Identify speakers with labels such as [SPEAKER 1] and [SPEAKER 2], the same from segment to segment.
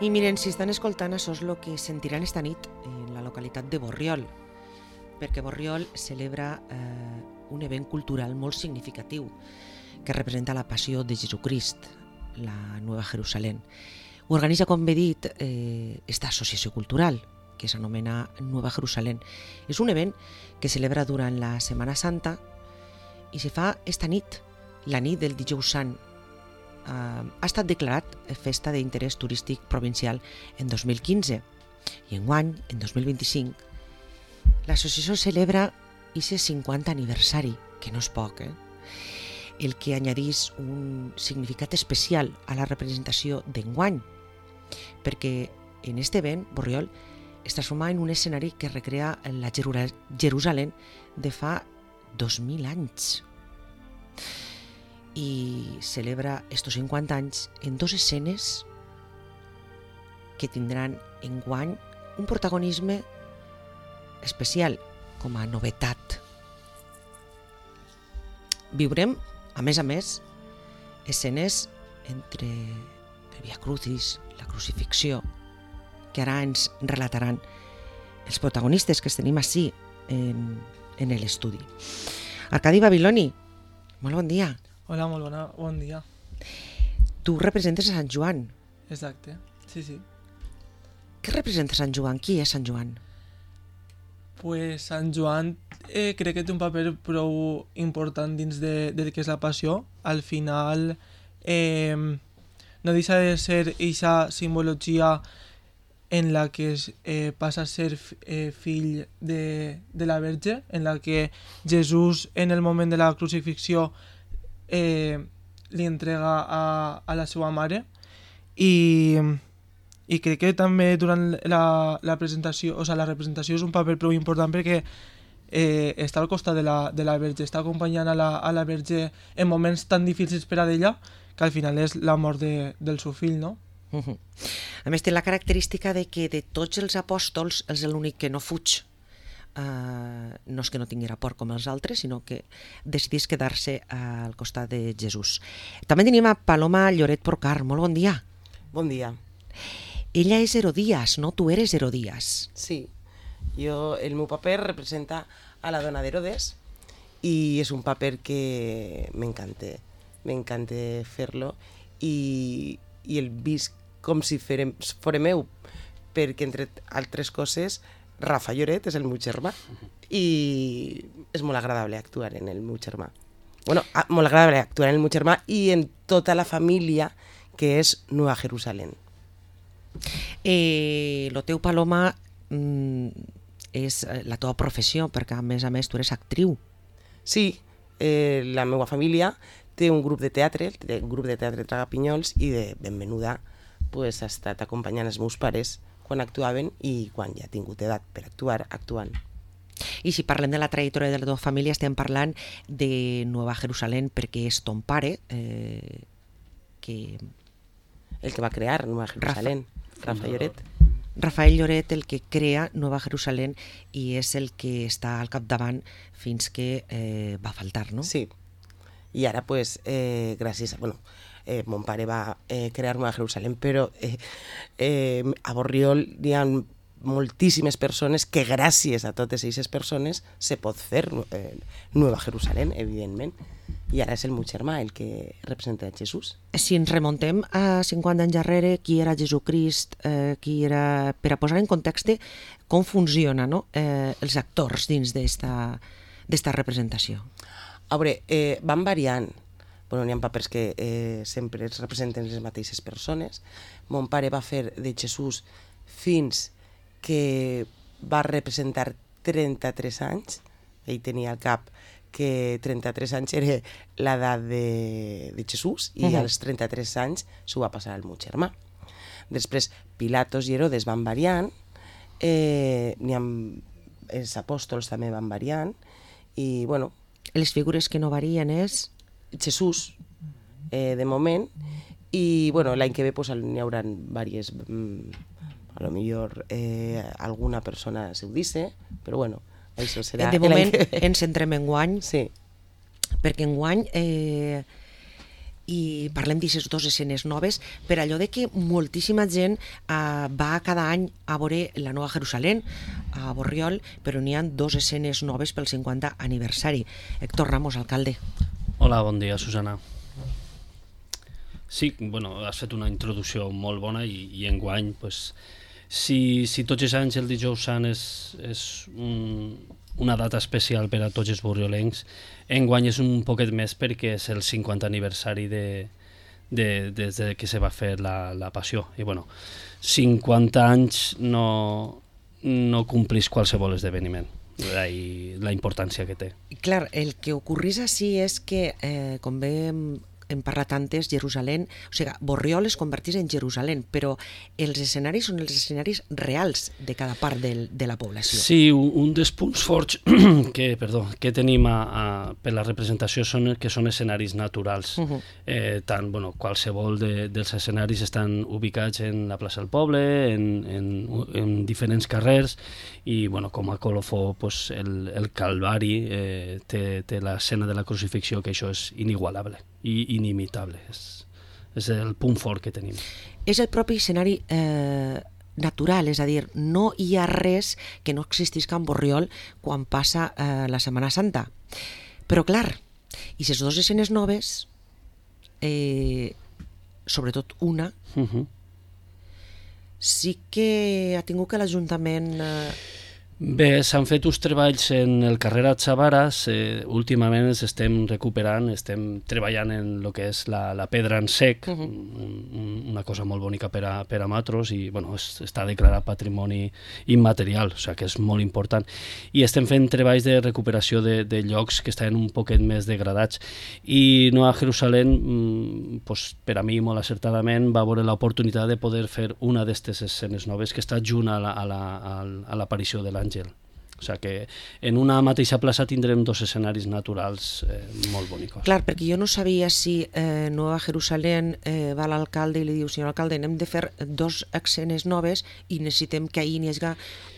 [SPEAKER 1] I miren, si estan escoltant, això és el que sentiran esta nit en la localitat de Borriol, perquè Borriol celebra un event cultural molt significatiu que representa la passió de Jesucrist, la Nueva Jerusalén. Ho organitza, com he dit, esta associació cultural, que s'anomena Nueva Jerusalén. És un event que celebra durant la Setmana Santa i se fa esta nit, la nit del Dijous Sant. Ha estat declarat festa d'interès turístic provincial en 2015 i enguany, en 2025, l'associació celebra aquest 50 aniversari, que no és poc, el que añadís un significat especial a la representació d'enguany, perquè en este event, Borriol es transforma en un escenari que recrea la Jerusalén de fa 2000 anys i celebra estos 50 anys en dos escenes que tindran enguany un protagonisme especial com a novetat. Viurem, a més, escenes entre el Via Crucis, la crucifixió, que ara ens relataran els protagonistes que tenim ací en l'estudi. Arcadi Babiloni, molt bon dia.
[SPEAKER 2] Hola, molt bon dia.
[SPEAKER 1] Tu representes a Sant Joan.
[SPEAKER 2] Exacte, sí.
[SPEAKER 1] Què representa Sant Joan? Qui és Sant Joan?
[SPEAKER 2] Pues Sant Joan crec que té un paper prou important dins de que és la passió. Al final no deixa de ser aquesta simbologia en la que passa a ser fill de la Verge, en la que Jesús en el moment de la crucifixió li entrega a la seva mare i crec que també durant la presentació, o sigui, la representació és un paper prou important perquè està al costat de la Verge, està acompanyant a la Verge en moments tan difícils per a ella que al final és la mort del seu fill, no?
[SPEAKER 1] A més té la característica de que de tots els apòstols és l'únic que no fuig. No és que no tinguera por com els altres, sinó que decidís quedar-se al costat de Jesús. També tenim a Paloma Lloret Porcar. Molt bon dia.
[SPEAKER 3] Bon dia.
[SPEAKER 1] Ella és Herodías, no? Tu eres Herodías.
[SPEAKER 3] Sí, el meu paper representa a la dona d'Herodes i és un paper que m'encanta fer-lo i el visc com si fora meu, perquè entre altres coses Rafa Lloret és el meu germà i és molt agradable actuar en el meu germà. Bueno, molt agradable actuar en el meu germà i en tota la família que és Nueva Jerusalén.
[SPEAKER 1] Lo teu, Paloma, és la teva professió, perquè a més tu eres actriu.
[SPEAKER 3] Sí, la meva família té un grup de teatre, Tragapinyols, i de ben menuda ha estat acompanyant els meus pares quan actuaven i quan ja ha tingut edat per actuar, actuant.
[SPEAKER 1] I si parlem de la trajectòria de la teva família, estem parlant de Nueva Jerusalén perquè és ton pare,
[SPEAKER 3] el que va crear Nueva Jerusalén, Rafa Lloret.
[SPEAKER 1] Rafael Lloret, el que crea Nueva Jerusalén i és el que està al capdavant fins que va faltar, no?
[SPEAKER 3] Sí, i ara gràcies a... mon pare va crear Nueva Jerusalén, però a Borriol hi ha moltíssimes persones que gràcies a totes aquestes persones se pot fer Nueva Jerusalén, evidentment. I ara és el meu germà el que representa a Jesús.
[SPEAKER 1] Si ens remontem a 50 anys darrere, qui era Jesucrist, qui era... Per a posar en context com funciona, no? Els actors dins d'esta representació.
[SPEAKER 3] A veure, van variant. N'hi ha papers que sempre es representen les mateixes persones. Mon pare va fer de Jesús fins que va representar 33 anys. Ell tenia al cap que 33 anys era l'edat de Jesús i als 33 anys s'ho va passar al meu germà. Després, Pilatos i Herodes van variant, els apòstols també van variant i, bueno...
[SPEAKER 1] Les figures que no varien és...
[SPEAKER 3] Jesús, de moment, i, bueno, l'any que ve n'hi haurà diverses... A lo millor alguna persona se ho dice, però, bueno, això serà...
[SPEAKER 1] De moment ens centrem en guany,
[SPEAKER 3] sí.
[SPEAKER 1] Perquè enguany i parlem d'aquestes dues escenes noves per allò de que moltíssima gent va cada any a veure la Nova Jerusalén a Borriol, però n'hi ha dues escenes noves pel 50 aniversari. Héctor Ramos, alcalde.
[SPEAKER 4] Hola, bon dia, Susana. Sí, bueno, has fet una introducció molt bona i enguany, pues, si tots els anys el dijous sant és una data especial per a tots els borriolencs, enguany és un poquet més perquè és el 50 aniversari des que se va fer la passió. I bueno, 50 anys no complís qualsevol esdeveniment, la importància que té.
[SPEAKER 1] Clar, el que ocorrís així és que, com bé hem parlat antes, Jerusalem, o sigui, Borriol es convertís en Jerusalem, però els escenaris són els escenaris reals de cada part de la població.
[SPEAKER 4] Sí, un dels punts forts que tenim per la representació són escenaris naturals. Tant, bueno, qualsevol dels escenaris estan ubicats en la plaça del poble, en diferents carrers, i bueno, com a colofó, pues, el Calvari té l'escena de la crucifixió, que això és inigualable i inimitable, és el punt fort que tenim.
[SPEAKER 1] És el propi escenari natural, és a dir, no hi ha res que no existisca en Borriol quan passa la Setmana Santa. Però clar, i les dues escenes noves, sobretot una, sí que ha tingut que l'Ajuntament...
[SPEAKER 4] Bé, s'han fet uns treballs en el carrer Atxavaras, últimament ens estem recuperant, estem treballant en el que és la pedra en sec, una cosa molt bonica per a matros, i bueno, està declarat patrimoni immaterial, o sigui que és molt important, i estem fent treballs de recuperació de llocs que estan un poquet més degradats, i Nova Jerusalem, pues, per a mi molt acertadament, va veure l'oportunitat de poder fer una d'aquestes escenes noves que està junt a l'aparició de l'Àngel. O sigui que en una mateixa plaça tindrem dos escenaris naturals molt bonicos.
[SPEAKER 1] Clar, perquè jo no sabia si Nova Jerusalem va a l'alcalde i li diu: senyor alcalde, anem de fer dos escenes noves i necessitem que ahir n'hi hagi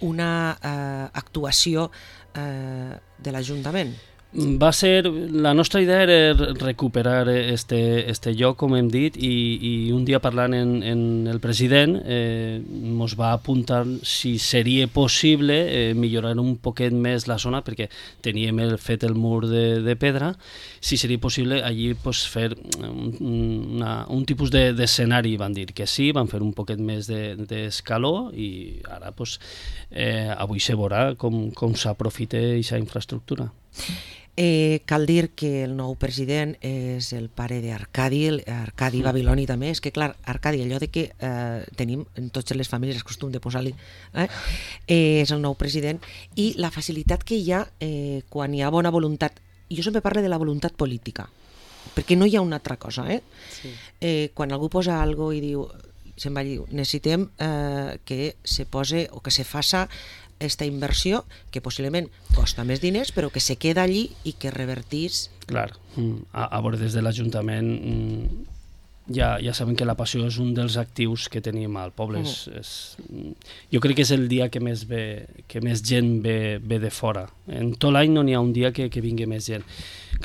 [SPEAKER 1] una actuació de l'Ajuntament.
[SPEAKER 4] La nostra idea era recuperar este lloc, com hem dit, i un dia parlant en el president ens va apuntar si seria possible millorar un poquet més la zona, perquè teníem fet el mur de pedra, si seria possible allí fer un tipus d'escenari. Van dir que sí, van fer un poquet més d'escaló, i ara avui se veurà com s'aprofita aquesta infraestructura.
[SPEAKER 1] Cal dir que el nou president és el pare d'Arcadi Babiloni també. És que clar, Arcadi, allò de que tenim en totes les famílies el costum de posar-li, és el nou president, i la facilitat que hi ha quan hi ha bona voluntat. Jo sempre parlo de la voluntat política, perquè no hi ha una altra cosa. Sí. Quan algú posa alguna cosa i diu, se'n va dir, necessitem que se pose o que se faça aquesta inversió, que possiblement costa més diners, però que se queda allí i que revertís...
[SPEAKER 4] Clar, a veure, des de l'Ajuntament ja sabem que la passió és un dels actius que tenim al poble. Jo crec que és el dia que més gent ve de fora. En tot l'any no n'hi ha un dia que vingui més gent.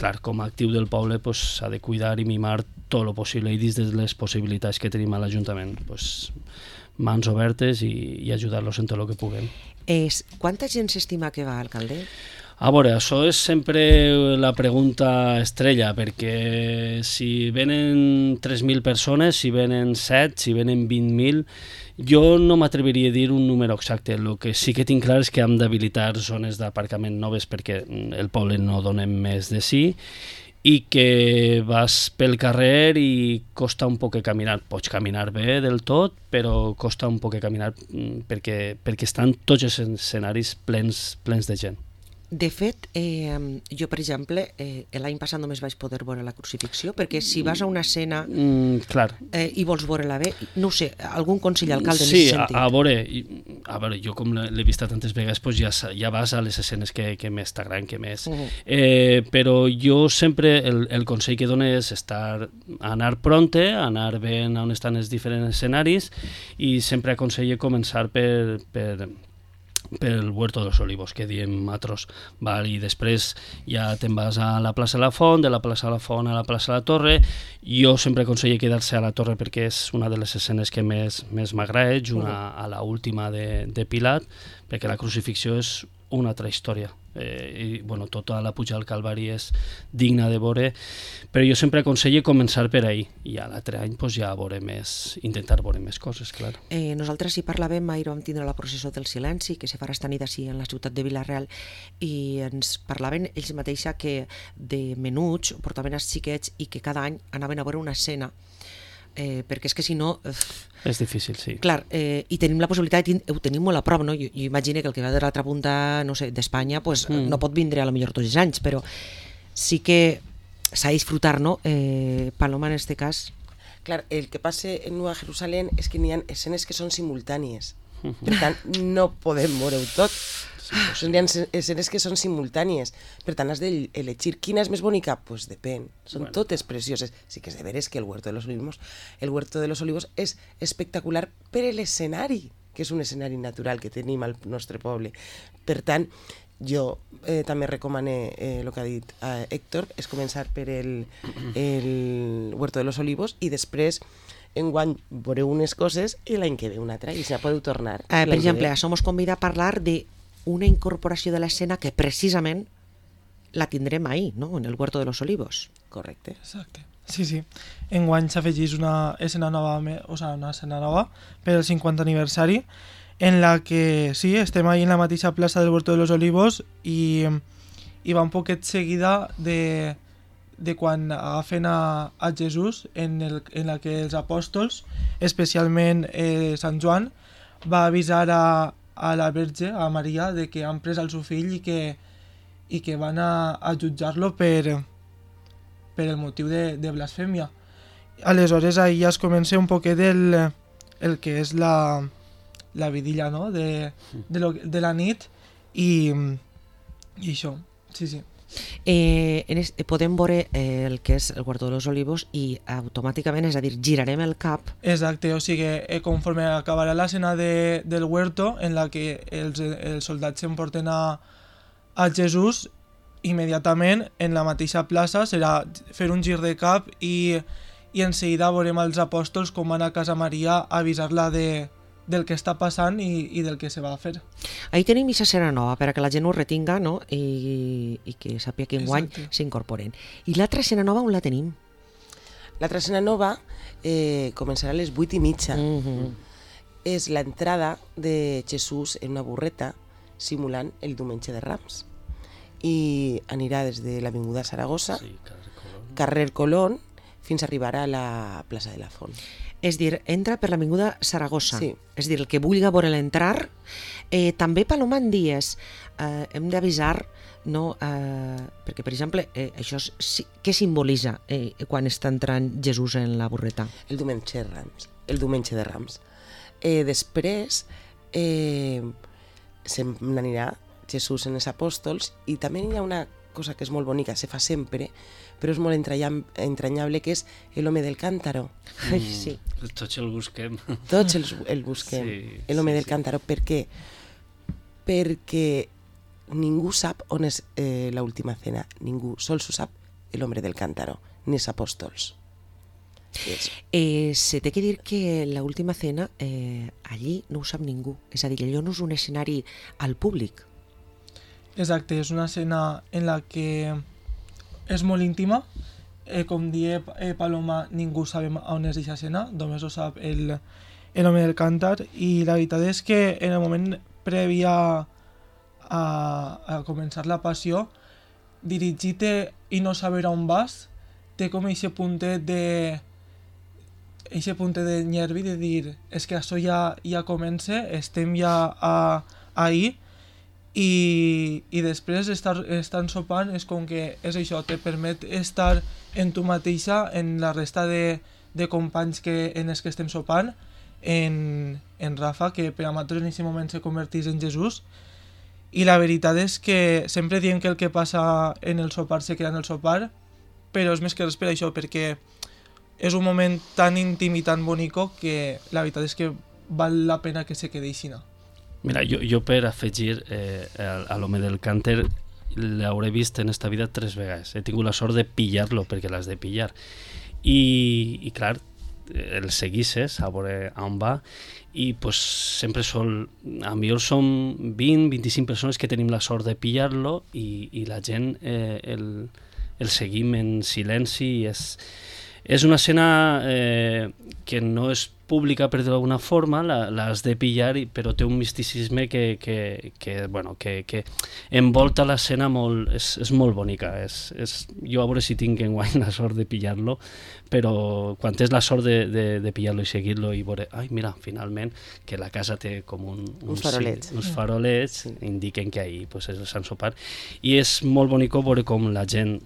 [SPEAKER 4] Clar, com a actiu del poble s'ha de cuidar i mimar tot el possible, i dins de les possibilitats que tenim a l'Ajuntament, mans obertes i ajudar-los en tot el que puguem.
[SPEAKER 1] Quanta gent s'estima que va, alcalde?
[SPEAKER 4] A veure, això és sempre la pregunta estrella, perquè si venen 3.000 persones, si venen 7, si venen 20.000, jo no m'atreviria a dir un número exacte. El que sí que tinc clar és que hem d'habilitar zones d'aparcament noves perquè el poble no donem més de sí, i que vas pel carrer i costa un poc caminar. Pots caminar bé del tot, però costa un poc caminar perquè estan tots els escenaris plens de gent.
[SPEAKER 1] De fet, jo, per exemple, l'any passat només vaig poder veure la crucifixió, perquè si vas a una escena i vols veure-la bé, no ho sé, algun consell, alcalde, en aquest sentit?
[SPEAKER 4] Sí, a veure, jo com l'he vista tantes vegades, ja vas a les escenes que més t'agraden, que més. Però jo sempre, el consell que dono és anar pronte, anar ben on estan els diferents escenaris, i sempre aconsello començar per pel Huerto de los Olivos, que diem nosaltres, val? I després ja te'n vas a la plaça de la Font, de la plaça de la Font a la plaça de la Torre. Jo sempre aconsello quedar-se a la Torre perquè és una de les escenes que més m'agrada, a la última de Pilat, perquè la crucifixió és una altra història. I bueno, tota la puja al Calvari és digna de veure, però jo sempre aconsello començar per ahí i a l'altre any pues, ja intentar veure més coses, clar.
[SPEAKER 1] Nosaltres hi parlàvem, ahir vam tindre la processó del silenci que se farà esta nit així en la ciutat de Vila-real, i ens parlaven ells mateixa que de menuts portaven els xiquets i que cada any anaven a veure una escena, perquè és que si no...
[SPEAKER 4] És difícil, sí.
[SPEAKER 1] Clar, i tenim la possibilitat, ho tenim molt a prop, no? Jo imagino que el que va de l'altra punta, no sé, d'Espanya, pues, no pot vindre a lo millor tots els anys, però sí que s'ha de disfrutar, no? Paloma, en este cas...
[SPEAKER 3] Clar, el que passa en Nova Jerusalem és que n'hi ha escenes que són simultànies. Per tant, no podem veure-ho tot. Hi ha escenes que són simultànies. Per tant, has d'elegir quina és més bonica. Pues depèn. Són totes precioses. Sí que és de veres que el Huerto de los Olivos és espectacular per l'escenari, que és un escenari natural que tenim al nostre poble. Per tant, jo també recomane el que ha dit Héctor, és començar per el Huerto de los Olivos i després enguany veureu unes coses i l'any que ve una altra i ja podeu tornar.
[SPEAKER 1] Per exemple, a Somos convida a parlar d'una incorporació de l'escena que precisament la tindrem ahí, no? En el Huerto de los Olivos.
[SPEAKER 3] Correcte.
[SPEAKER 2] Exacte. Sí. Enguany s'afegeix una escena nova, una escena nova per al 50 aniversari, en la que sí, estem ahí en la mateixa plaça del Huerto de los Olivos i va un poquet seguida de quan agafen a Jesús, en la que els apòstols, especialment Sant Joan, va avisar a la Verge, a Maria, de que han pres el seu fill i que van a jutjar-lo per el motiu de blasfèmia. Aleshores, ahir ja es comença un poquet el que és la vidilla, no? de la nit i això, sí.
[SPEAKER 1] Podem veure el que és el Huerto de los Olivos i automàticament, és a dir, girarem el cap.
[SPEAKER 2] Exacte, o sigui, conforme acabarà l'escena del Huerto, en la que els soldats s'emporten a Jesús, immediatament en la mateixa plaça serà fer un gir de cap i en seguida veurem els apòstols com van a casa Maria a avisar-la del que està passant i del que se va a fer.
[SPEAKER 1] Ahí tenim aquesta escena nova, per a que la gent ho retinga, no? I que sàpiga que enguany s'incorporen. I l'altra escena nova on la tenim?
[SPEAKER 3] L'altra escena nova començarà a les 8:30. És l'entrada de Jesús en una burreta simulant el diumenge de Rams. I anirà des de l'Avinguda Saragossa, carrer Colón, fins a arribar a la plaça de la Font.
[SPEAKER 1] És dir, entra per l'Avinguda Saragossa.
[SPEAKER 3] Sí.
[SPEAKER 1] És dir, el que vulgui veure l'entrar. També, Paloma, en dies hem d'avisar, no? Perquè, per exemple, això què simbolitza quan està entrant Jesús en la burreta?
[SPEAKER 3] El diumenge de Rams. Després se n'anirà Jesús en els apòstols i també hi ha una cosa que és molt bonica, se fa sempre, però és molt entranyable, que és l'home del cántaro.
[SPEAKER 1] Sí.
[SPEAKER 4] Tots el busquem.
[SPEAKER 3] Tots el busquem,
[SPEAKER 4] sí,
[SPEAKER 3] l'home del cántaro. Per què? Perquè ningú sap on és l'última cena, ningú, sols ho sap l'home del cántaro, ni els apòstols.
[SPEAKER 1] Se té que dir que l'última cena allí no ho sap ningú, és a dir, allò no és un escenari al públic.
[SPEAKER 2] Exacte, és una escena en la que és molt íntima, com diu Paloma, ningú sabem on és aquesta escena, només ho sap l'home del càntar, i la veritat és que en el moment previ a començar la passió, dirigir-te i no saber on vas, té com aquest puntet de nervi de dir, és que això ja comença, estem ja ahí, i després estar sopant és com que és això, te permet estar en tu mateixa, en la resta de companys en els que estem sopant, en Rafa, que per a nosaltres en aquest moment se converteix en Jesús, i la veritat és que sempre diem que el que passa en el sopar se queda en el sopar, però és més que res per això, perquè és un moment tan íntim i tan bonic que la veritat és que val la pena que se quedi així.
[SPEAKER 4] Mira, jo per afegir a l'home del cànter l'hauré vist en esta vida 3 vegades. He tingut la sort de pillar-lo, perquè l'has de pillar. I clar, el seguisses a veure on va, i pues, sempre a millor som 20-25 persones que tenim la sort de pillar-lo, i la gent el seguim en silenci. És una escena que no és pública, per dir d'alguna forma, l'has de pillar, però té un misticisme que envolta l'escena molt, és molt bonica. Jo a veure si tinc enguany la sort de pillar-lo, però quan tens la sort de pillar-lo i seguir-lo i veure, ai, mira, finalment, que la casa té com uns farolets, indiquen que ahir pues, és el Sant Sopar, i és molt bonic veure com la gent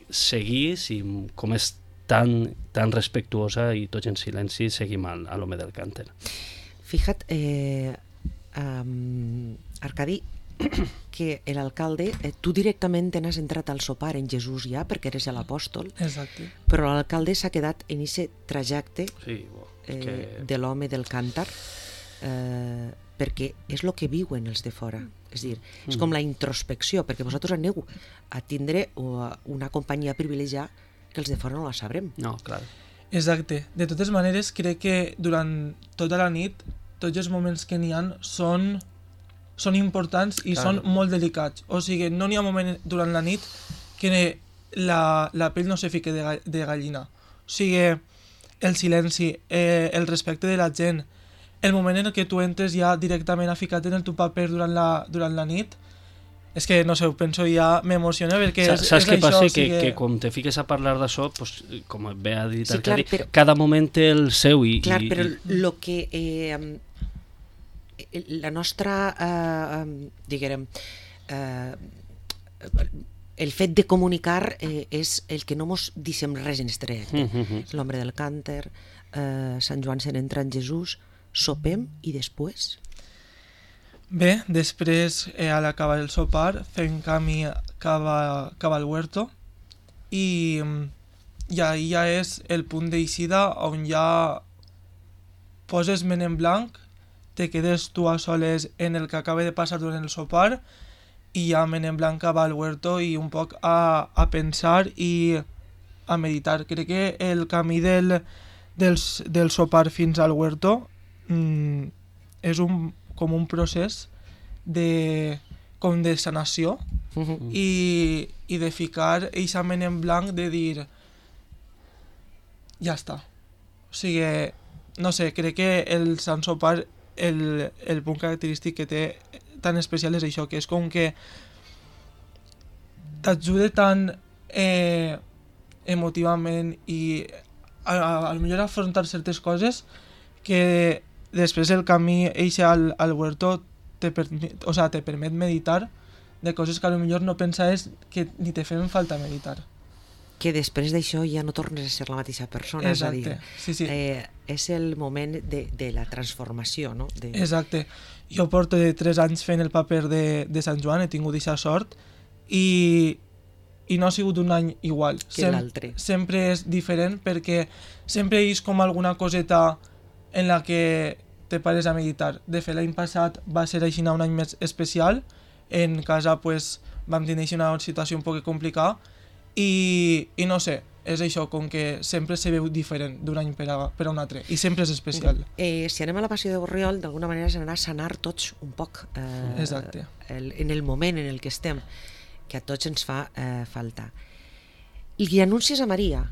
[SPEAKER 4] seguís i com és tan respectuosa i tots en silenci seguim a l'home del cànter.
[SPEAKER 1] Fíjate, Arcadi, que l'alcalde, tu directament n'has entrat al sopar en Jesús ja, perquè eres l'apòstol,
[SPEAKER 2] Exacte.
[SPEAKER 1] però l'alcalde s'ha quedat en aquest trajecte de l'home del càntar, perquè és el que viuen els de fora. És dir, és com la introspecció, perquè vosaltres aneu a tindre una companyia privilegiada que els de fora no la sabrem.
[SPEAKER 4] No, clar.
[SPEAKER 2] Exacte. De totes maneres, crec que durant tota la nit tots els moments que n'hi ha són importants i són molt delicats. O sigui, no n'hi ha moment durant la nit que la pell no se fique de gallina. O sigui, el silenci, el respecte de la gent, el moment en què tu entres ja directament a ficar-te en el teu paper durant la nit, és que, no sé, ho penso ja, m'emociona perquè
[SPEAKER 4] saps què passa? Que quan te fiques a parlar d'això, pues, com bé ha dit Arcadi, cada moment té el seu
[SPEAKER 1] Clar, però el que la nostra diguem el fet de comunicar és el que no mos deixem res en este trajecte. L'home del cànter, Sant Joan se n'entra en Jesús, sopem i després...
[SPEAKER 2] Bé, després, a l'acabar el sopar, fem camí cap al huerto i ahí ja és el punt d'eixida on ja poses ment en blanc, te quedes tu a soles en el que acaba de passar durant el sopar i ja ment en blanc cap al huerto i un poc a pensar i a meditar. Crec que el camí del sopar fins al huerto és com un procés de sanació i de ficar eixament en blanc de dir ja està. O sigui, no sé, crec que el Sant Sopar el punt característic que té tan especial és això, que és com que t'ajuda tant emotivament i a millor afrontar certes coses que després el camí eixe al huerto te permet meditar de coses que a lo millor no pensaves que ni te feien falta meditar.
[SPEAKER 1] Que després d'això ja no tornes a ser la mateixa persona.
[SPEAKER 2] Exacte, sí.
[SPEAKER 1] És el moment de la transformació, no?
[SPEAKER 2] Exacte. Jo porto 3 anys fent el paper de Sant Joan, he tingut aquesta sort i no ha sigut un any igual.
[SPEAKER 1] Que l'altre.
[SPEAKER 2] Sempre és diferent perquè sempre és com alguna coseta en la que te pares a meditar. De fet, l'any passat va ser així un any més especial. En casa pues, vam tenir una situació un poc complicada i no sé, és això, com que sempre se veu diferent d'un any per a un altre i sempre és especial.
[SPEAKER 1] Si anem a la Passió de Borriol, d'alguna manera s'anarà a sanar tots un poc
[SPEAKER 2] exacte.
[SPEAKER 1] En el moment en el que estem, que a tots ens fa falta. I anuncies a Maria?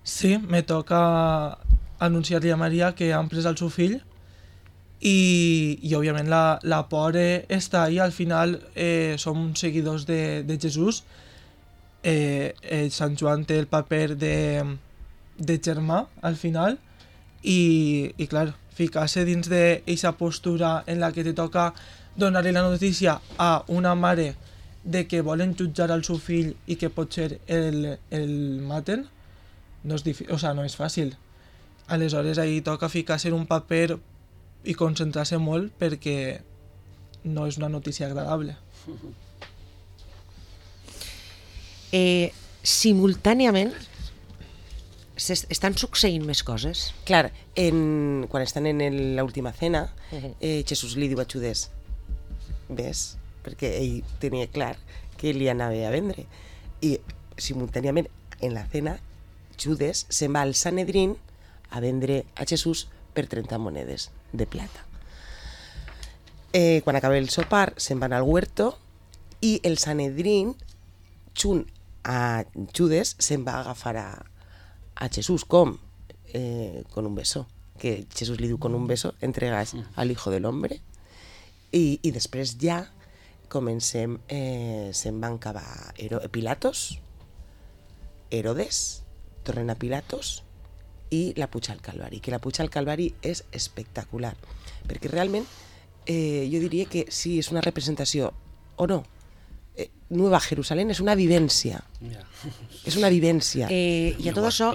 [SPEAKER 2] Sí, me toca anunciar-li a Maria que han pres el seu fill i òbviament la por està ahí. Al final som seguidors de Jesús. Sant Joan té el paper de germà al final i clar, ficar-se dins d'aquesta postura en la que te toca donar-li la notícia a una mare de que volen jutjar al seu fill i que potser el maten no és fàcil. Aleshores ahí toca ficar-se en un paper i concentrar-se molt perquè no és una notícia agradable.
[SPEAKER 1] Simultàniament estan succeint més coses?
[SPEAKER 3] Clar, quan estan en l'última cena, Jesús li diu a Judes, ves? Perquè ell tenia clar que li anava a vendre. I simultàniament, en la cena, Judes se'n va al Sanedrín a vendre a Jesús per 30 monedes de plata. Quan acaba el sopar, se'n van al huerto i el Sanedrín, junt a Judes, se'n va agafar a Jesús. Com? Con un beso. Que Jesús li diu, con un beso entregas al hijo del hombre. I després ja comencem, se'n van acabar Pilatos, Herodes, tornen a Pilatos i la puja al Calvari. Que la puja al Calvari és espectacular. Perquè realment jo diria que sí, és una representació o no. Nueva Jerusalén és una vivència. És una vivència.
[SPEAKER 1] I a tot això,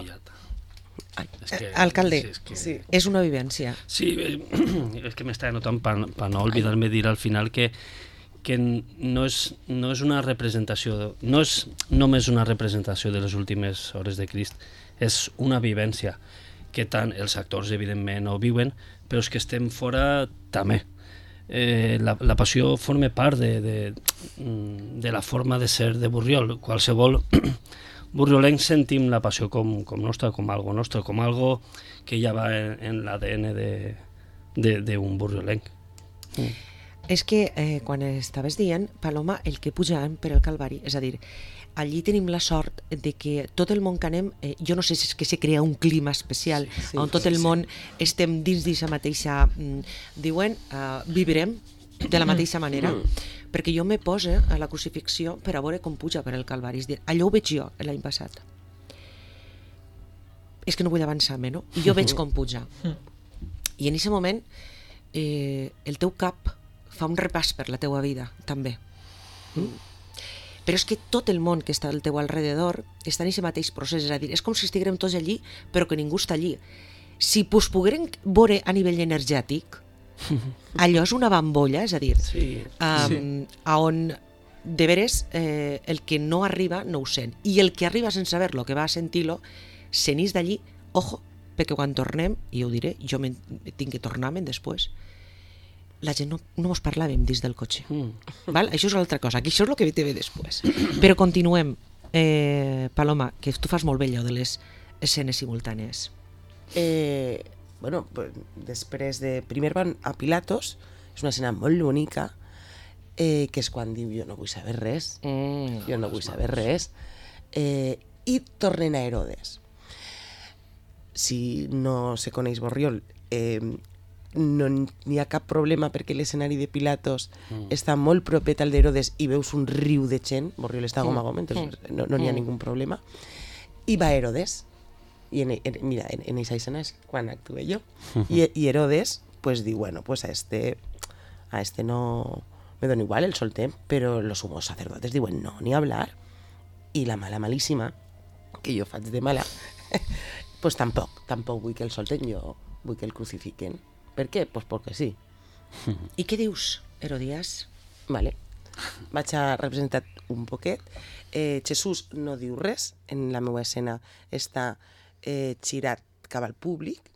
[SPEAKER 1] alcalde,
[SPEAKER 3] sí.
[SPEAKER 1] és una vivència.
[SPEAKER 4] Sí, és que m'estava notant per no oblidar-me dir al final que no és una representació, no és només una representació de les últimes hores de Crist, és una vivència que tant els actors evidentment ho viuen, però és que estem fora també. La passió forma part de la forma de ser de Borriol. Qualsevol borriolenc sentim la passió com nostra, com algo nostre, com algo que ja va en l'ADN d'un borriolenc.
[SPEAKER 1] És que quan estaves dient, Paloma, el que pujàvem per el Calvari, és a dir, allí tenim la sort de que tot el món que anem, jo no sé si és que se crea un clima especial, on tot el món estem dins d'aquesta mateixa, diuen, vivirem de la mateixa manera, perquè jo me poso a la crucifixió per a veure com puja per el Calvari, és a dir, allò ho veig jo l'any passat. És que no vull avançar-me, no? I jo veig com puja. I en aquest moment el teu cap fa un repàs per la teua vida, també. Però és que tot el món que està al teu alrededor està en aquest mateix procés, és a dir, és com si estiguem tots allí, però que ningú està allí. Si pues poguérem veure a nivell energètic, allò és una bambolla, és a dir, on de veres el que no arriba no ho sent, i el que arriba sense saber-lo, que va a sentir-lo, se n'és d'allí, ojo, perquè quan tornem, i ho diré, jo tinc que tornar-me'n després, la gent no mos parlàvem dins del cotxe. Val? Això és una altra cosa, aquí això és el que te ve després. Però continuem, Paloma, que tu fas molt bé allò de les escenes simultànies.
[SPEAKER 3] Bueno, després de... Primer van a Pilatos, és una escena molt bonica, que és quan diu jo no vull saber res, jo no vull saber res, i tornen a Herodes. Si no se coneix Borriol, no n'hi ha cap problema perquè l'escenari de Pilatos està molt propet al d'Herodes i veus un riu de gent, Borriol està gom a gom, no n'hi ha ningú problema, i va Herodes, i mira, en esa escena és quan actué jo, i Herodes pues diu, bueno, pues a este no me dona igual, el soltem, però los sumos sacerdotes diuen no, ni hablar, i la mala malíssima, que jo faig de mala, pues tampoc vull que el solten, jo vull que el crucifiquen. Per què? Pues perquè sí.
[SPEAKER 1] I què dius, Herodias?
[SPEAKER 3] Vale. Vaig a representar un poquet. Jesús no diu res, en la meva escena està girat cap al públic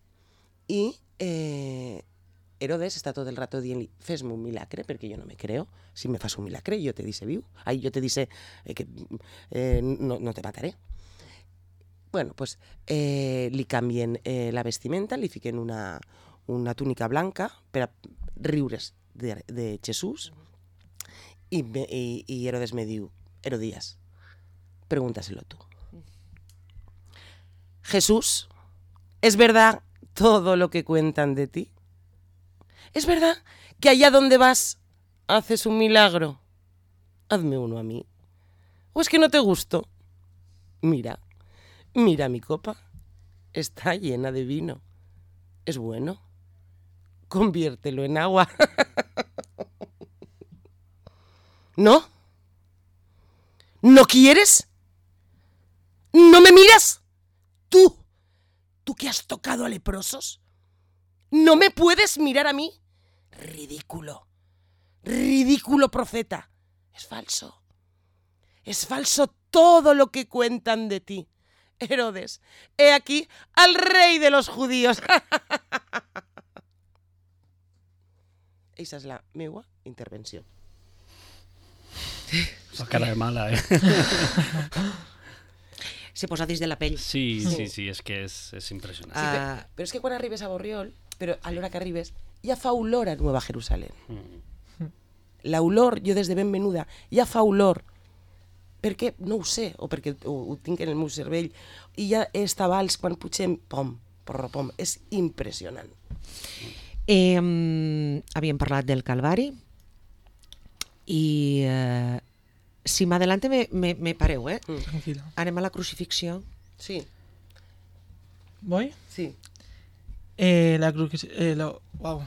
[SPEAKER 3] i Herodes està tot el rato dient-li fes-me un milagre, perquè jo no me creo, si me fas un milagre jo te dice viu, jo te dice que no te mataré. Bueno, pues li canvien la vestimenta, li fiquen una túnica blanca per a riure's de Jesús y Herodes me diu, Herodías, pregúntaselo tú. Jesús, ¿es verdad todo lo que cuentan de ti? ¿Es verdad que allá donde vas haces un milagro? Hazme uno a mí. ¿O es que no te gusto? Mira mi copa, está llena de vino. Es bueno. Conviértelo en agua. ¿No? ¿No quieres? ¿No me miras? ¿Tú que has tocado a leprosos? ¿No me puedes mirar a mí? Ridículo. Ridículo profeta. Es falso. Es falso todo lo que cuentan de ti. Herodes, he aquí al rey de los judíos. Esa és la meua intervenció.
[SPEAKER 4] Fa cara de mala,
[SPEAKER 1] Se posa dins de la pell.
[SPEAKER 4] Sí, és que és impressionant.
[SPEAKER 3] Sí, però és que quan arribes a Borriol, però a l'hora que arribes, ja fa olor a Nueva Jerusalén. L'olor, jo des de ben menuda, ja fa olor. Perquè, no ho sé, o perquè ho tinc en el meu cervell, i ja està vals quan pugem, pom, porropom, és impressionant.
[SPEAKER 1] Havíem parlat del Calvari i si m'adelante me pareu,
[SPEAKER 2] Tranquil·la.
[SPEAKER 1] Anem a la crucifixió.
[SPEAKER 3] Sí,
[SPEAKER 2] Voy?
[SPEAKER 3] sí.
[SPEAKER 2] La crucifixió... Uau.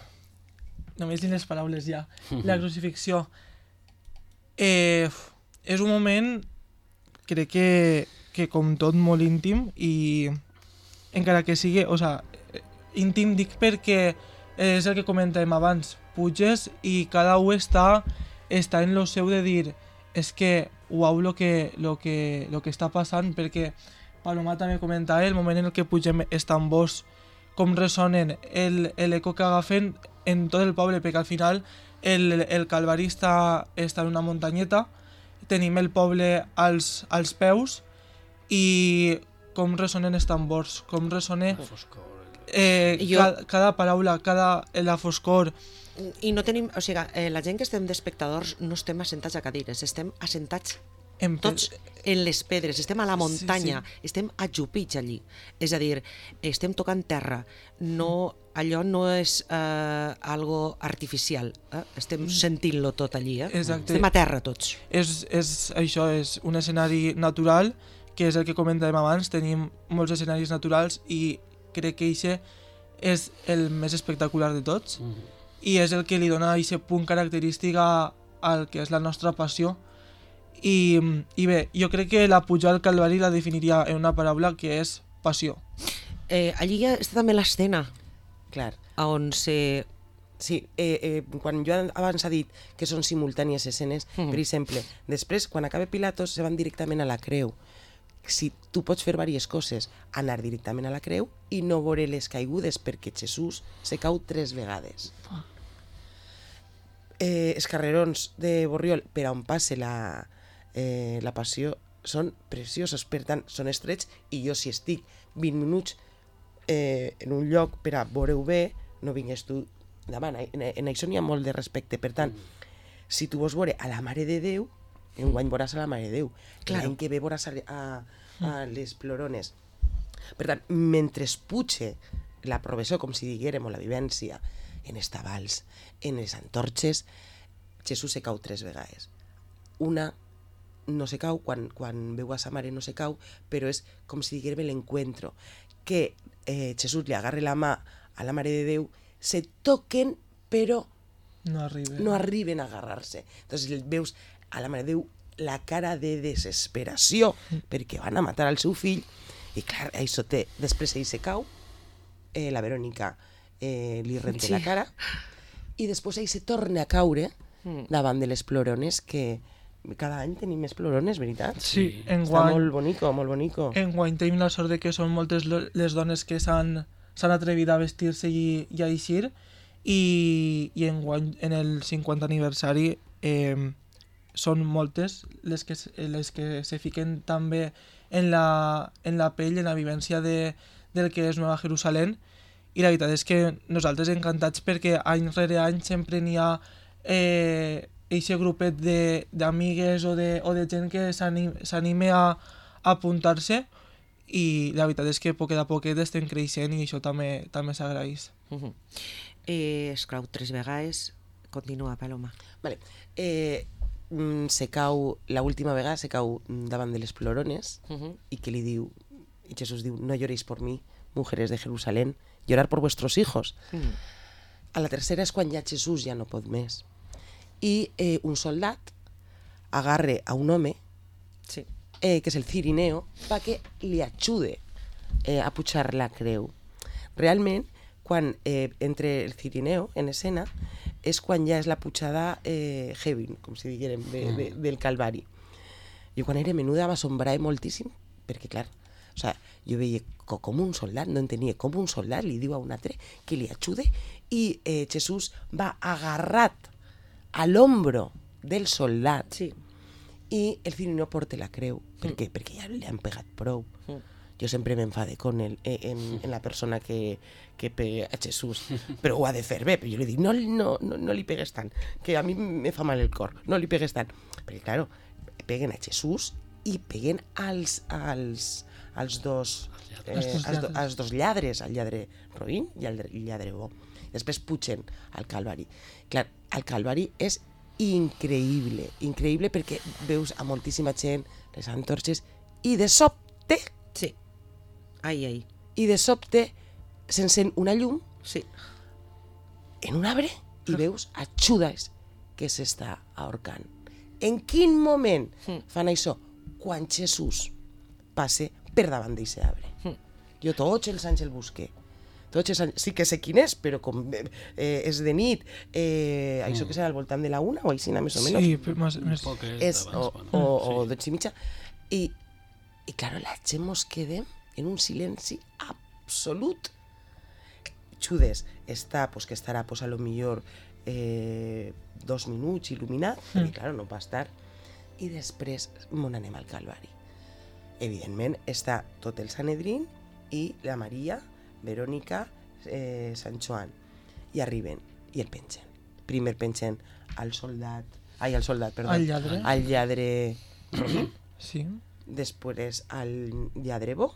[SPEAKER 2] Només dic les paraules ja. La crucifixió. És un moment, crec que com tot molt íntim i encara que sigui... O sigui, íntim dic perquè és el que comentàvem abans. Puges i cada un està en lo seu de dir és que uau lo que està passant, perquè Paloma també comentava el moment en el que pugem els tambors, com ressonen, l'eco que agafen en tot el poble, perquè al final el Calvari està en una muntanyeta, tenim el poble als peus i com ressonen els tambors, com ressona cada paraula, la foscor.
[SPEAKER 1] I no tenim, o sigui, la gent que estem d'espectadors no estem assentats a cadires, estem assentats tots en les pedres, estem a la muntanya, estem ajupits allí. És a dir, estem tocant terra, allò no és algo artificial, estem sentint-lo tot allí,
[SPEAKER 2] Exacte.
[SPEAKER 1] Estem a terra tots.
[SPEAKER 2] Això és un escenari natural, que és el que comentàvem abans, tenim molts escenaris naturals i crec que això és el més espectacular de tots. I és el que li dona aquest punt característic al que és la nostra passió. I bé, jo crec que la pujada al Calvari la definiria en una paraula que és passió.
[SPEAKER 1] Allí ja està també l'escena,
[SPEAKER 3] Clar.
[SPEAKER 1] on se...
[SPEAKER 3] Sí, quan jo abans ha dit que són simultànies escenes, per exemple, després, quan acaba Pilatos, se van directament a la creu. Si tu pots fer diverses coses, anar directament a la creu i no veure les caigudes, perquè Jesús se cau 3 vegades. Els carrerons de Borriol, per on passe la passió, són preciosos, per tant, són estrets, i jo si estic 20 minuts en un lloc per a veure-ho bé, no vingues tu davant. En això n'hi ha molt de respecte. Per tant, si tu vols veure a la Mare de Déu, enguany veuràs a la Mare de Déu. L'any que ve veuràs a les plorones. Per tant, mentre puge la professió, com si diguérem, o la vivència, en els tabals, en les antorxes, Jesús se cau 3 vegades. Una no se cau, quan veu a sa mare no se cau, però és com si diguérem l'encuentro, que Jesús li agarre la mà a la Mare de Déu, se toquen, però no arriben a agarrar-se. Entonces veus a la Mare de Déu la cara de desesperació perquè van a matar al seu fill, i clar, això té, després ell se cau, la Verònica li renta la cara, i després ell se torna a caure davant de les plorones, que cada any tenim més plorones, veritat?
[SPEAKER 2] Sí,
[SPEAKER 3] Està molt bonico, molt bonico.
[SPEAKER 2] Enguany tenim la sort de que són moltes les dones que s'han atrevit a vestir-se i a eixir, i enguany, en el 50 aniversari, són moltes les que se fiquen també en la pell, en la vivència del que és Nueva Jerusalén, i la veritat és que nosaltres encantats, perquè any rere any sempre n'hi ha eixe grupet d'amigues o de gent que s'anime a apuntar-se, i la veritat és que poquet a poquet estem creixent, i això també s'agraeix.
[SPEAKER 1] Esclau 3 vegades, continua, Paloma.
[SPEAKER 3] Vale. Se cau, l'última vegada se cau davant de les plorones, i que li diu, i Jesús diu, no lloréis por mí, mujeres de Jerusalén, llorar por vuestros hijos. A la tercera és quan ja Jesús ja no pot més, i un soldat agarre a un home, que és el Cirineo, perquè li ajude a pujar la creu. Realment, quan entre el Cirineo en escena, és quan ja és la pujada heavy, com si diguérem, del Calvari. Jo quan era menuda m'assombrava moltíssim, perquè clar, O sea, jo veia com un soldat, no entenia com un soldat li diu a un altre que li ajude i Jesús va agarrat a l'ombro del soldat
[SPEAKER 1] Sí.
[SPEAKER 3] i el fill no porta la creu. Per què? Perquè ja li han pegat prou. Jo sempre m'enfade con en la persona que pega a Jesús, però ho ha de fer bé. Però jo li dic, no li pegues tant, que a mi me fa mal el cor, no li pegues tant. Perquè, claro, peguen a Jesús i peguen als dos lladres, al lladre roïn i al lladre bo. Després pugen al Calvari. Clar, el Calvari és increïble perquè veus a moltíssima gent, les antorxes, i de sobte
[SPEAKER 1] Sí. Ai.
[SPEAKER 3] s'encén una llum
[SPEAKER 1] Sí.
[SPEAKER 3] en un arbre i veus a Judas que s'està ahorcant. En quin moment fan això? Quan Jesús passe per davant d'aquest arbre. Jo tots els anys el busqué. Sí que sé quin és, però com és de nit, això que serà al voltant de la 1 o així, més o menys.
[SPEAKER 2] Sí, però més...
[SPEAKER 3] O 12:30. I claro, la gent mos quedem en un silenci absolut. Judes està, pues, que estarà, pues, a lo millor 2 minuts il·luminat, perquè, claro, no va estar. I després mon anem al Calvari. Evidentment, està tot el Sanedrín i la Maria, Verònica, Sant Joan. I arriben i el pengen. Primer pengen al lladre roí,
[SPEAKER 2] Sí.
[SPEAKER 3] després al lladre bo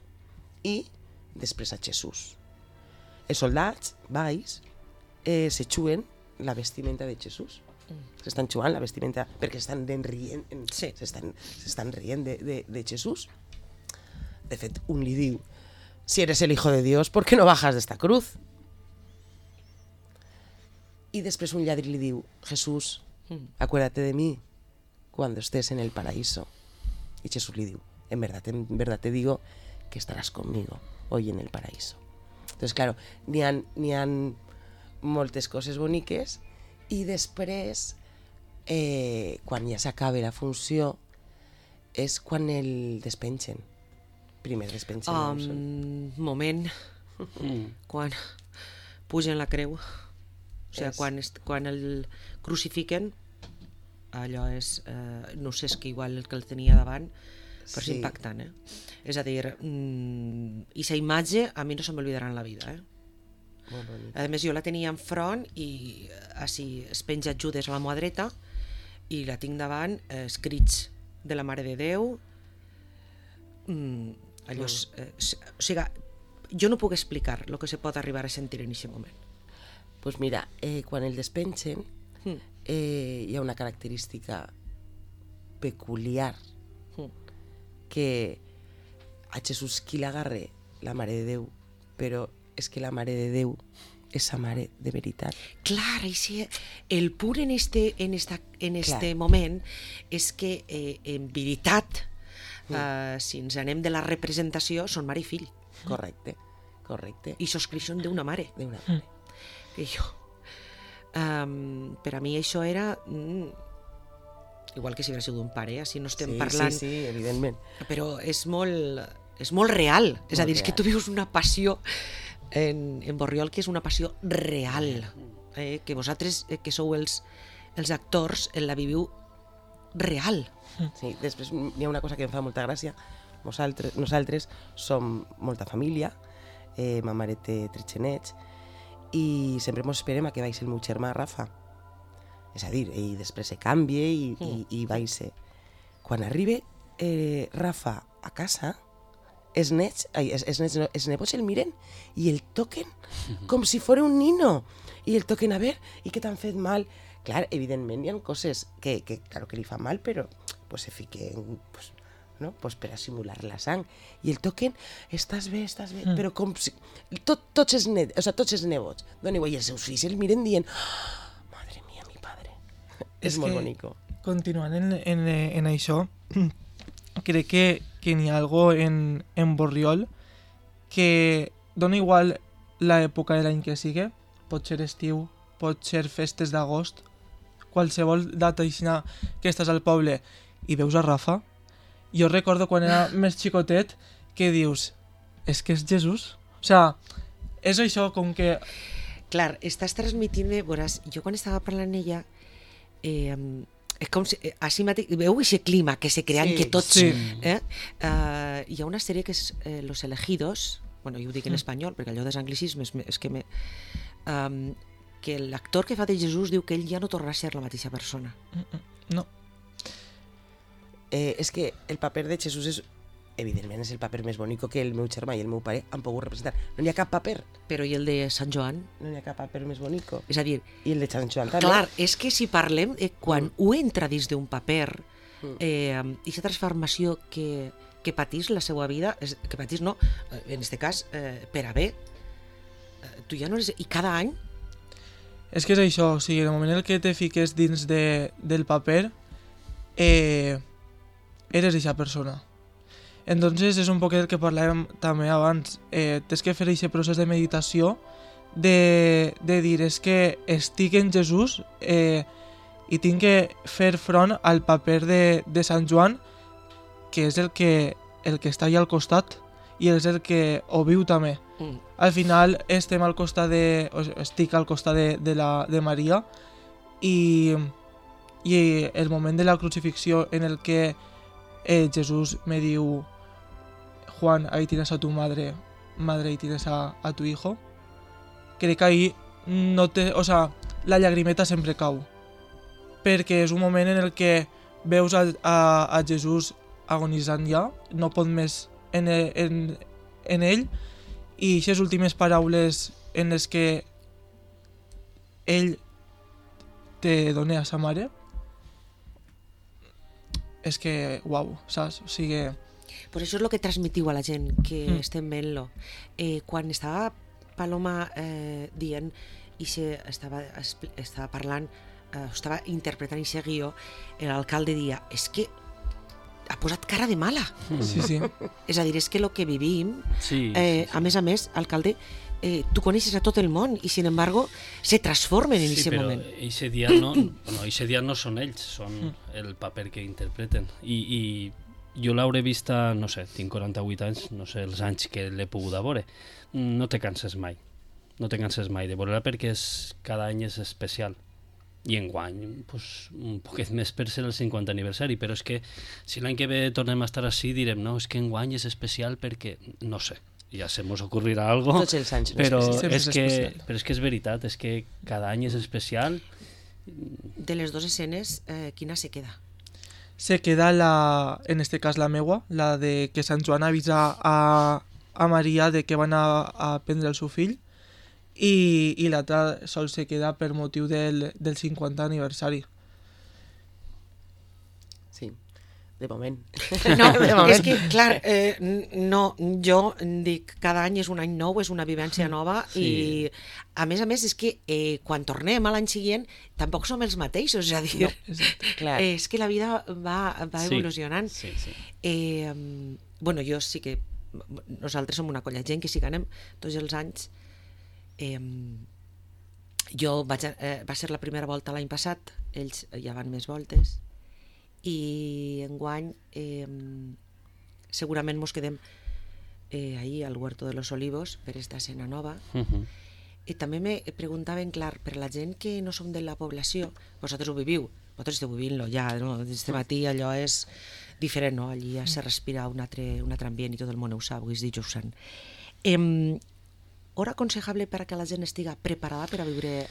[SPEAKER 3] i després a Jesús. Els soldats, baix, se xuen la vestimenta de Jesús. S'estan xugant la vestimenta perquè s'estan rient, s'estan rient de Jesús. De fet, un li diu, si eres el hijo de Dios, ¿por qué no bajas de esta cruz? Y després un lladre li diu, Jesús, acuérdate de mí cuando estés en el paraíso. Y Jesús li diu, en verdad te digo que estarás conmigo hoy en el paraíso. Entonces, claro, n'hi ha moltes coses boniques i després, quan ja s'acaba la funció, és quan el despengen. Primer despengen.
[SPEAKER 1] Moment. Quan pugen la creu. O sigui, quan el crucifiquen, allò és... no sé, és que igual el que el tenia davant, però és impactant, És a dir, i la imatge a mi no se m'oblidarà en la vida,
[SPEAKER 3] Molt bonic.
[SPEAKER 1] A més, jo la tenia enfront i així es penja Judes a la mà dreta i la tinc davant, escrits de la Mare de Déu, allò o sigui, jo no puc explicar el que se pot arribar a sentir en aquest moment.
[SPEAKER 3] Pues mira, quan el despengen hi ha una característica peculiar que a Jesús qui l'agarre la Mare de Déu, però és que la Mare de Déu és sa Mare de veritat.
[SPEAKER 1] Clar, el punt en este moment és que en veritat, si ens anem de la representació, són mare i fill.
[SPEAKER 3] Correcte.
[SPEAKER 1] I soscriuen d'una mare.
[SPEAKER 3] D'una mare.
[SPEAKER 1] I jo, per a mi això era igual que si hagués sigut un pare, així no estem parlant.
[SPEAKER 3] Sí, evidentment.
[SPEAKER 1] Però és molt real. És a dir, és que tu vius una passió en Borriol que és una passió real, que vosaltres, que sou els actors, la viviu real.
[SPEAKER 3] Sí, després hi ha una cosa que em fa molta gràcia. Nosaltres som molta família, ma mare té 3 genets, i sempre ens esperem a que vagi el meu germà Rafa. És a dir, ell després se canvia i vagi. Quan arriba Rafa a casa, els nebots el miren i el toquen com si fos un nino. I el toquen a veure, i que t'han fet mal. Clar, evidentment hi ha coses que claro que li fan mal, però pues, se fiquen pues, per a simular la sang. I el toquen, estàs bé, però com si... Tots els nebots, i els seus fills el miren dient, madre mía, mi padre. És molt bonico.
[SPEAKER 2] Continuant en això, crec que n'hi ha algo en Borriol que dona igual l'època de l'any que sigui, pot ser estiu, pot ser festes d'agost, qualsevol data que estàs al poble i veus a Rafa. Jo recordo quan era més xicotet que dius, és que és Jesús. O sea, és això com que...
[SPEAKER 1] Clar, estàs transmitint-me, veuràs, jo quan estava parlant ella, és com si, així mateix, veu aquest clima que se crea que tots...
[SPEAKER 2] Sí.
[SPEAKER 1] Hi ha una sèrie que és Los Elegidos, bueno, jo ho dic en espanyol, perquè allò dels anglicismes és que que l'actor que fa de Jesús diu que ell ja no tornarà a ser la mateixa persona.
[SPEAKER 2] No.
[SPEAKER 3] És que el paper de Jesús és, evidentment, és el paper més bonic que el meu germà i el meu pare han pogut representar. No n'hi ha cap paper,
[SPEAKER 1] Però i el de Sant Joan?
[SPEAKER 3] no n'hi ha cap paper més bonic.
[SPEAKER 1] És a dir,
[SPEAKER 3] I el de Sant Joan també.
[SPEAKER 1] clar, és que si parlem, quan ho entra dins d'un paper, i aquesta transformació que patís la seva vida, que patís no, en aquest cas, per a bé, tu ja no eres... I cada any,
[SPEAKER 2] És que és això, o sigui, en el moment en què te fiques dins del paper, eres aquesta persona. Entonces és un poc el que parlàvem també abans, tens que fer aquest procés de meditació, de dir, és que estic en Jesús i tinc que fer front al paper de Sant Joan, que és el que està allà al costat i és el que ho viu també. Al final estem al costat estic al costat de Maria i el moment de la crucifixió en el que Jesús me diu Juan, ahí tienes a tu madre, ahí tienes a tu hijo, crec que ahí la llagrimeta sempre cau, perquè és un moment en el que veus a Jesús agonitzant ja, no pot més en ell, i aquestes últimes paraules en les que ell te dona a sa mare, és que, uau, saps? O sigui...
[SPEAKER 1] per això és el que transmitiu a la gent que estem veient-lo. Quan estava Paloma dient i estava parlant, estava interpretant aquest guió, l'alcalde dia, és que ha posat cara de mala.
[SPEAKER 2] Sí.
[SPEAKER 1] És a dir, és que el que vivim,
[SPEAKER 4] Sí,
[SPEAKER 1] a més, alcalde, tu coneixes a tot el món i, sin embargo, se transformen en aquest moment.
[SPEAKER 4] Sí, però eixe dia no són ells, són el paper que interpreten. I jo l'hauré vista, no sé, tinc 48 anys, no sé els anys que l'he pogut veure. No te canses mai. No te canses mai de veure-la perquè cada any és especial. I enguany, pues, un poquet més per ser el 50 aniversari, però és que si l'any que ve tornem a estar així direm, no, és que enguany és especial perquè, no sé, ja se mos ocorrirà algo,
[SPEAKER 3] Tots els anys són
[SPEAKER 4] però
[SPEAKER 3] especials.
[SPEAKER 4] és que és veritat, és que cada any és especial.
[SPEAKER 1] De les dues escenes, quina se queda?
[SPEAKER 2] Se queda en este cas la meua, la de que Sant Joan avisa a Maria de que van a prendre el seu fill, i l'altra sol se queda per motiu del 50 aniversari.
[SPEAKER 3] Sí, de moment.
[SPEAKER 1] No,
[SPEAKER 3] De moment.
[SPEAKER 1] és que, clar, no, jo dic, cada any és un any nou, és una vivència nova,
[SPEAKER 4] Sí.
[SPEAKER 1] i a més és que quan tornem a l'any següent tampoc som els mateixos, és a dir,
[SPEAKER 3] Clar.
[SPEAKER 1] és que la vida va
[SPEAKER 4] Sí.
[SPEAKER 1] evolucionant.
[SPEAKER 4] Sí.
[SPEAKER 1] Bueno, jo sí que... Nosaltres som una colla de gent que si ganem tots els anys... va ser la primera volta l'any passat, ells ja van més voltes, i enguany segurament mos quedem ahir al Huerto de los Olivos per esta escena nova. I també me preguntaven, clar, per la gent que no som de la població, vosaltres ho viviu, vosaltres esteu vivint-lo ja, no? Este matí allò és diferent, no? Allí ja se respira un altre ambient i tot el món ho sap, és dijous sant. Hora aconsejable per a que la gent estigui preparada per a viure...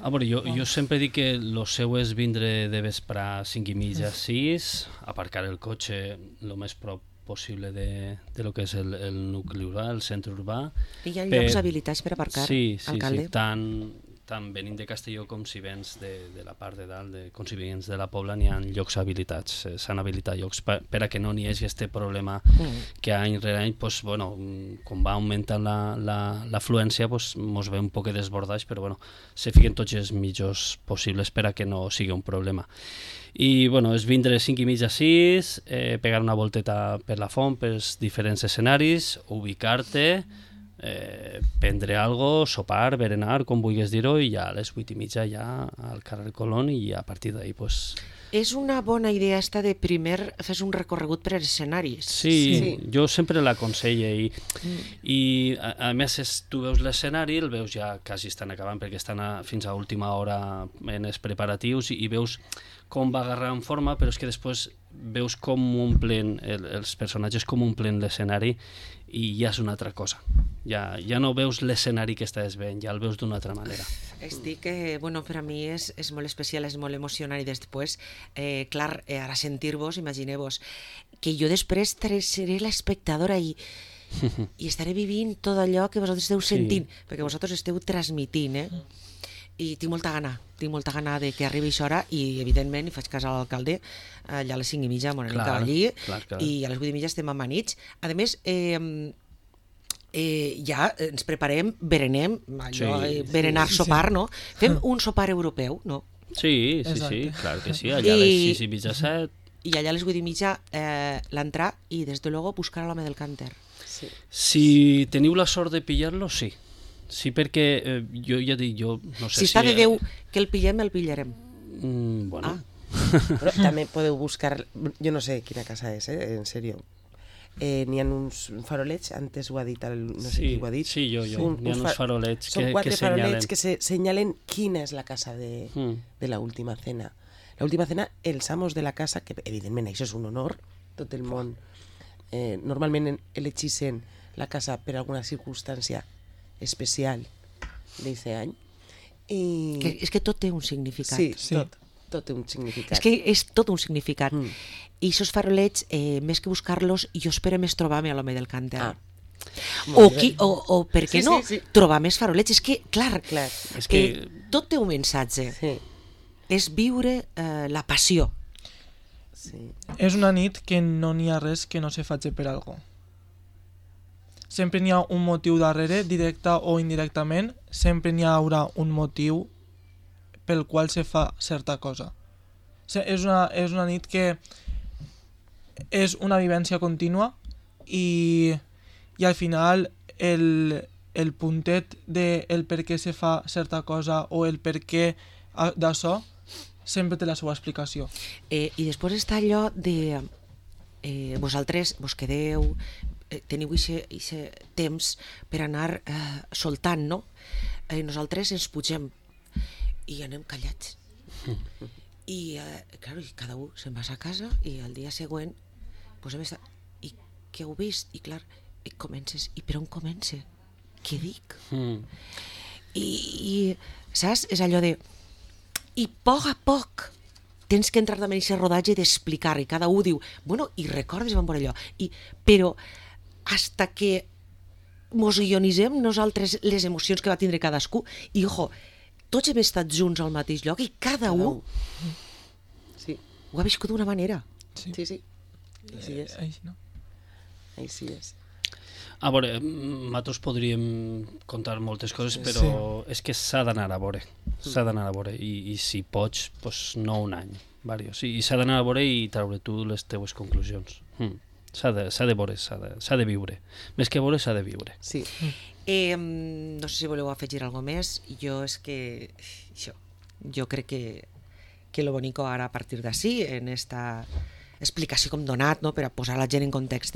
[SPEAKER 4] A veure, jo sempre dic que lo seu és vindre de vespre 5:30, 6, aparcar el cotxe el més prop possible de lo que és el nucli urbà, el centre urbà.
[SPEAKER 1] I hi ha llocs habilitats per aparcar,
[SPEAKER 4] sí,
[SPEAKER 1] alcalde?
[SPEAKER 4] Sí, tant venint de Castelló com si vens de la part de dalt, com si vens de la Pobla, n'hi ha llocs habilitats, s'han habilitat llocs per a que no n'hi hagi aquest problema que any rere any, pues, bueno, com va augmentant l'afluència, pues, mos ve un poc desbordats, però bueno, se fiquen tots els mitjors possibles per a que no sigui un problema. I bueno, és vindre 5:30, 6, pegar una volteta per la font, pels diferents escenaris, ubicar-te, prendre algo, sopar, berenar, com vulguis dir-ho, i ja a les 8:30 ja al carrer Colón, i a partir d'ahí pues...
[SPEAKER 1] És una bona idea esta de primer fes un recorregut per als escenaris.
[SPEAKER 4] Sí, jo sempre l'aconselle i a més tu veus l'escenari, el veus ja quasi estan acabant perquè estan fins a última hora en els preparatius i veus com va agarrar en forma, però és que després veus com omplen els personatges, com omplen l'escenari i ja és una altra cosa. Ja no veus l'escenari que estàs veient, ja el veus d'una altra manera.
[SPEAKER 1] Estic, bueno, per a mi és molt especial, és molt emocionant i després, clar, ara sentir-vos, imagineu-vos, que jo després seré l'espectadora i estaré vivint tot allò que vosaltres esteu sentint, perquè vosaltres esteu transmitint, i tinc molta gana de que arribi aquesta hora i, evidentment, faig cas a l'alcalde, allà a les 5:30 m'ho anem cap allí, i a les 8:30 estem amanits. A més, ja ens preparem, berenem, berenar, sopar, no? Fem un sopar europeu, no?
[SPEAKER 4] Sí, clar que sí, allà a les 6:30, 7...
[SPEAKER 1] I allà a les 8:30 l'entrar i, des de luego, buscar a l'home del cànter.
[SPEAKER 4] Si teniu la sort de pillar-lo, sí. Sí, perquè jo ja dic, jo no sé si...
[SPEAKER 1] Si està de Déu que el pillem, el pillarem.
[SPEAKER 4] Bueno.
[SPEAKER 3] Però també podeu buscar, jo no sé quina casa és, en sèrio. N'hi ha uns farolets, antes ho ha dit, no sé qui ho ha dit.
[SPEAKER 4] Sí, jo. N'hi ha uns farolets que senyalen. Són
[SPEAKER 3] 4 farolets que senyalen quina és la casa de la última cena. La última cena, els amos de la casa, que evidentment això és un honor, tot el món, normalment elegissen la casa per alguna circumstància especial d'aquest any.
[SPEAKER 1] És que tot té un significat.
[SPEAKER 3] Sí, tot té un significat.
[SPEAKER 1] És que és tot un significat. I aquests farolets, més que buscar-los, jo espero més trobar-me a l'home del cànter. O per què no trobar més farolets? És que, clar, tot té un missatge. És viure la passió.
[SPEAKER 2] És una nit que no n'hi ha res que no se faci per algo. Sempre n'hi ha un motiu darrere, directe o indirectament, sempre n'hi haurà un motiu pel qual se fa certa cosa. És una nit que és una vivència contínua i al final el puntet del per què se fa certa cosa o el per què d'això sempre té la seva explicació.
[SPEAKER 1] I després està allò de vosaltres vos quedeu, teniu aquest temps per anar soltant, no? Nosaltres ens pugem i anem callats. I cada un se'n va a casa i el dia següent i què heu vist? I clar, comences, i per on comença? Què dic? I saps? És allò de... I a poc tens que entrar també en aquest rodatge d'explicar, i cada un diu, bueno, i recordes van per allò, però hasta que mos ionitzem nosaltres les emocions que va tindre cadascú, i ojo, tots hem estat junts al mateix lloc i cada un ho ha viscut d'una manera.
[SPEAKER 3] Sí. Així és. Així és.
[SPEAKER 4] A veure, nosaltres podríem contar moltes coses, però és que s'ha d'anar a veure. S'ha d'anar a veure i si pots, no un any, diversos. I s'ha d'anar a veure i treure tu les teues conclusions. S'ha de veure, s'ha de viure. Més que veure, s'ha de viure.
[SPEAKER 3] Sí.
[SPEAKER 1] No sé si voleu afegir alguna més. Jo crec que lo bonico ara a partir d'ací, en esta explicació com donat, no, per a posar la gent en context,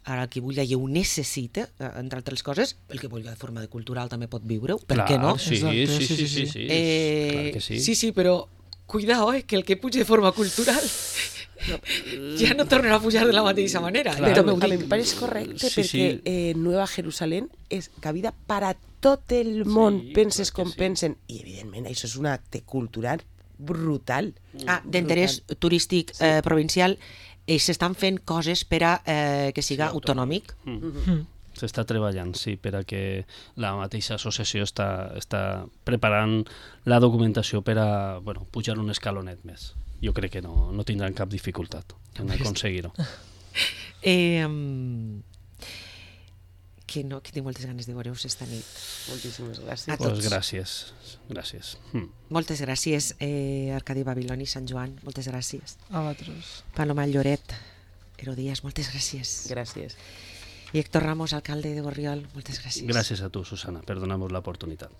[SPEAKER 1] ara el que vulgui i ho necessita, entre altres coses, el que vulgui de forma cultural també pot viure-ho, per què no?
[SPEAKER 4] Sí. Clar que sí.
[SPEAKER 1] Sí, però cuidao, que el que puja de forma cultural ja no tornarà a pujar de la mateixa manera.
[SPEAKER 3] Però a mi em pareix correcte perquè Nueva Jerusalén és cabida per a tot el món, penses com pensen, i evidentment això és un acte cultural brutal.
[SPEAKER 1] D'interès turístic provincial, s'estan fent coses per a que siga autonòmic.
[SPEAKER 4] S'està treballant, sí, per a que la mateixa associació està preparant la documentació per a pujar un escalonet més. Jo crec que no tindran cap dificultat en aconseguir-ho.
[SPEAKER 1] Que tinc moltes ganes de veure-us esta nit.
[SPEAKER 3] Moltíssimes gràcies.
[SPEAKER 1] A tots.
[SPEAKER 4] Gràcies.
[SPEAKER 1] Moltes gràcies, Arcadi Babiloni, Sant Joan, moltes gràcies.
[SPEAKER 2] A vosaltres.
[SPEAKER 1] Paloma Lloret, Herodias, moltes gràcies.
[SPEAKER 3] Gràcies.
[SPEAKER 1] I Héctor Ramos, alcalde de Borriol, moltes gràcies.
[SPEAKER 4] Gràcies a tu, Susana, per donar-nos l'oportunitat.